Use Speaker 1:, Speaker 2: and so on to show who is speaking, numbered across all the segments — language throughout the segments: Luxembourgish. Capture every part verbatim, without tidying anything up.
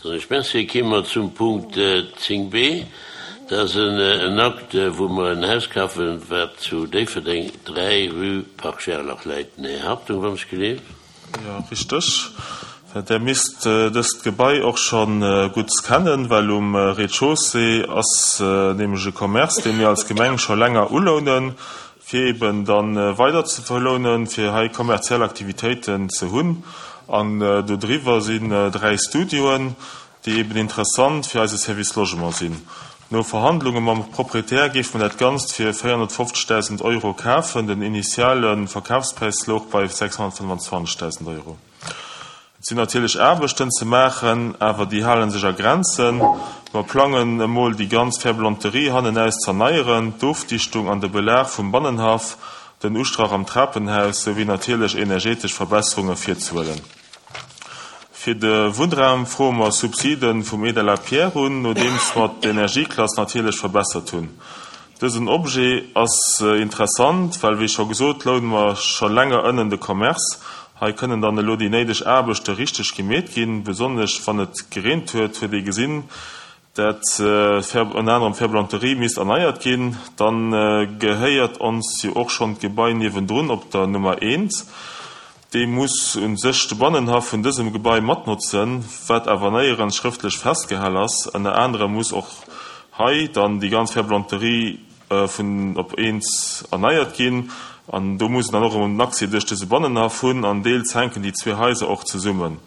Speaker 1: Soen ech Merci. Ki mer zum Punkt zéng b. Dat ass en Akt, wou mer en Haus kafen, wat zu Déifferdeng, dräi rue Parc Gerlach läit. Den Här Hartung, wann ech geleeft.
Speaker 2: Jo, richteg. Der misst dëst Gebai och scho gutt kennen, well um Rez-de-chaussée ass nämlech e Commerce, dee mir als Gemeng scho länger ulounen, fir eben da weider ze verlounen, fir hei kommerziell Aktivitéiten ze hunn. An dodriwwer sinn dräi Studioen, déi eben interessant fir eise Service Logement sinn. No Verhandlunge mam Proprietär géife mer dat Ganzt fir véierhonnertfofzegdausend Euro kafen. Den initiale Verkafspräis louch bei sechshonnertfënnwanzwanzegdausend Euro. Et sinn natierlech Aarbechten ze maachen, awer déi hale sech a Grenzen. Mer plangen emol déi ganz Ferblanterie hannenaus z'erneieren, d'Ofdichtung an de Belag vum Bannenhaff, den Ustrach am Trapenhaus souwéi natierlech energetesch Verbesserunge virzehuelen. Fir de Wunnraum froe mer Subside vum Aide à la pierre un, nodeems mer d'Energieklass natierlech verbessert hunn. Dësen Objet ass interessant, well wéi scho gesot, loune mer scho länger ënnen de Commerce. Hei kënnen dann elo déi néideg Aarbechte richteg gemeet ginn. Besonnesch wann et gereent huet, huet ee gesinn, dat ënner anerem d'Ferblanterie misst erneiert ginn. Dann gehéiert ons jo och schonn d'Gebai niewendrun op der Nummer eent. Dee muss u sech de Bannenhaff vun dësem Gebai matnotzen, wat awer néierens schrëftlech festgehal ass. Ënner anerem muss och hei dann déi ganz Ferblanterie vun op eent erneiert ginn. An do muss en dann och en Accès duerch dëse Bannenhaff hunn an deels hänken déi zwee Haiser och zesummen.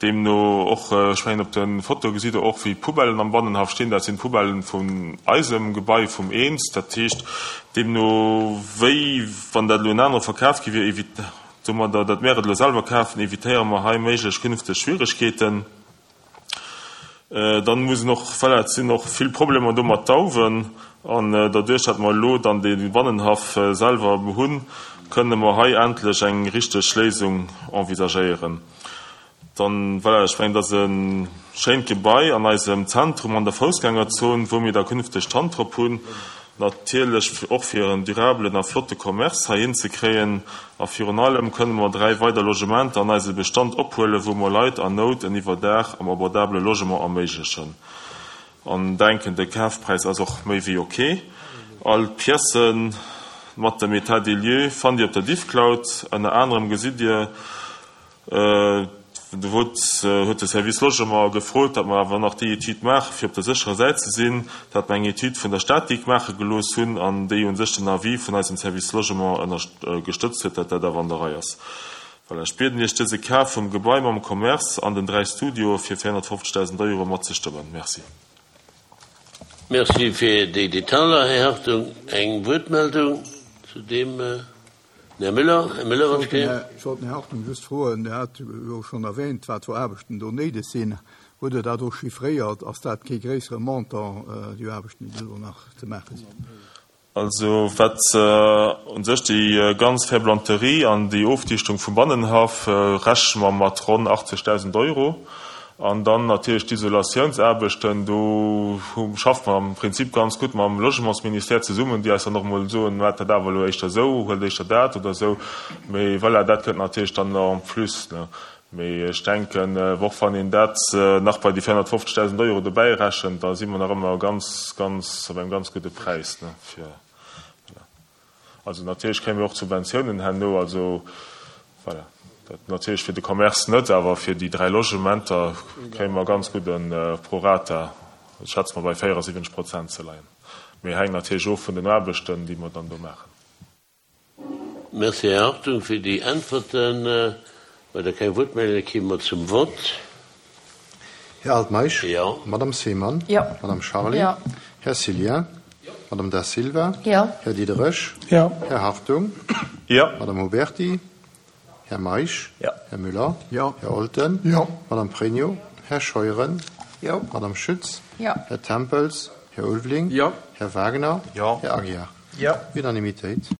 Speaker 2: Deemno och, ech mengen op de Fotoe gesitt Der och wéi d'Poubellen am Bannenhaff stinn, dat sinn d'Poubellen vun eisem Gebai vum eent. Dat heescht, deemno wéi wann dat elo en anere verkaf gi wier, domadder datt mär et elo selwer kafen, evitéiere mer hei méiglech künfteg Schwieregkeeten. Dann muss en och, voilà, et sinn och vill Problemer do mat Dauwen, an derduerch datt mer elo dann dee Bannenhaff selwer hunn, kënne mer hei endlech eng richteg Léisung envisagéieren. Dann, voilà, ech mengen, dat ass e schéint Gebai an eisem Zentrum an der Foussgängerzon, wou mir da künfteg d'Hand drop hunn, natierlech och fir en durabelen a flotte Commerce heihin ze kréien. A virun allem kënne mer dräi weider Logementer an eise Bestand ophuelen, wou mer Leit an Nout en Iwwerdaach am abordabele Logement erméiglechen. An denken, de Kafpräis ass och méi wéi ok. All d'Piècen mat dem État des lieux fannt Dir op der Diffcloud. Ënner anerem gesitt Dir, Do huet de Service Logement gefrot, datt mer awer nach déi Etüd maachen, fir op der sécherer Säit ze sinn, datt mer eng Etüd vun der Statik maache gelooss hunn an déi u sech den Avis vun eisem Service Logement gestëtzt huet, datt dat awer an der Rei ass. Voilà, ech bieden Iech, dëse Kaf vum Gebai mam Commerce an den dräi Studioe fir véierhonnertfofzegdausend Euro matzestëmmen. Merci.
Speaker 1: Merci fir déi Detailer, Här Hartung. Eng Wuertmeldung zu deem? Den Här Müller, Här Müller, wann ech kéint.
Speaker 3: Ech wollt den Här Hartung just froen, Der hat jo schonn erwähnt, wat fir Aarbechten do néideg sinn. Hutt Der dat och chiffréiert? Ass dat kee gréissere Montant, déi Aarbechten, déi do nach ze maache sinn?
Speaker 2: Also wat u sech déi ganz Ferblanterie an déi Ofdichtung vum Bannenhaff rechne mer mat ronn achtzegdausend Euro. An dann natierlech d'Isolatiounsaarbechten, do schaffe mer am Prinzip ganz gutt mam Logementsministère zesummen, déi eis dann och emol soen, maacht dat awer elo éischter esou, huelt éischter dat oder esou. Mee voilà, dat kënnt natierlech dann en plus. Mee ech denken, och wann een dat nach bei déi véierhonnertfofzegdausend Euro dobäi rechent, da si mer nach ëmmer ganz, ganz op engem ganz gudde Präis fir, voilà. Also natierlech kréie mir och d'Subventiounen herno, also voilà. Dat natierlech fir de Commerce net, awer fir déi dräi Logementer kréie mer ganz gudde Prorata, schätze mer bei véierasiwwenzeg Prozent ze leien. Mee hänkt natierlech of vun den Aarbechten, déi mer dann do maachen.
Speaker 1: Merci, Här Hartung, fir déi Äntwerten. Well der keng Wuertmeldunge gi mer zum Vott.
Speaker 4: Här Altmeisch.
Speaker 1: Jo.
Speaker 4: Madame Seemann.
Speaker 5: Jo.
Speaker 4: Madame Charlé.
Speaker 5: Jo.
Speaker 4: Här Cillien.
Speaker 1: Jo.
Speaker 4: Madame Da Silva.
Speaker 5: Jo.
Speaker 4: Här Diderich.
Speaker 6: Jo.
Speaker 4: Här Hartung.
Speaker 2: Jo.
Speaker 4: Madame Huberty. Här Meisch.
Speaker 6: Jo.
Speaker 4: Här Müller.
Speaker 3: Jo.
Speaker 4: Här Olten.
Speaker 6: Jo.
Speaker 4: Madame Pregno. Här Scheuren.
Speaker 5: Jo.
Speaker 4: Madame Schütz.
Speaker 5: Jo.
Speaker 4: Här Tempels. Här Ulveling.
Speaker 6: Jo.
Speaker 4: Här Wagner.
Speaker 2: Jo.
Speaker 4: Här Aguiar.
Speaker 6: Jo.
Speaker 4: Unanimitéit.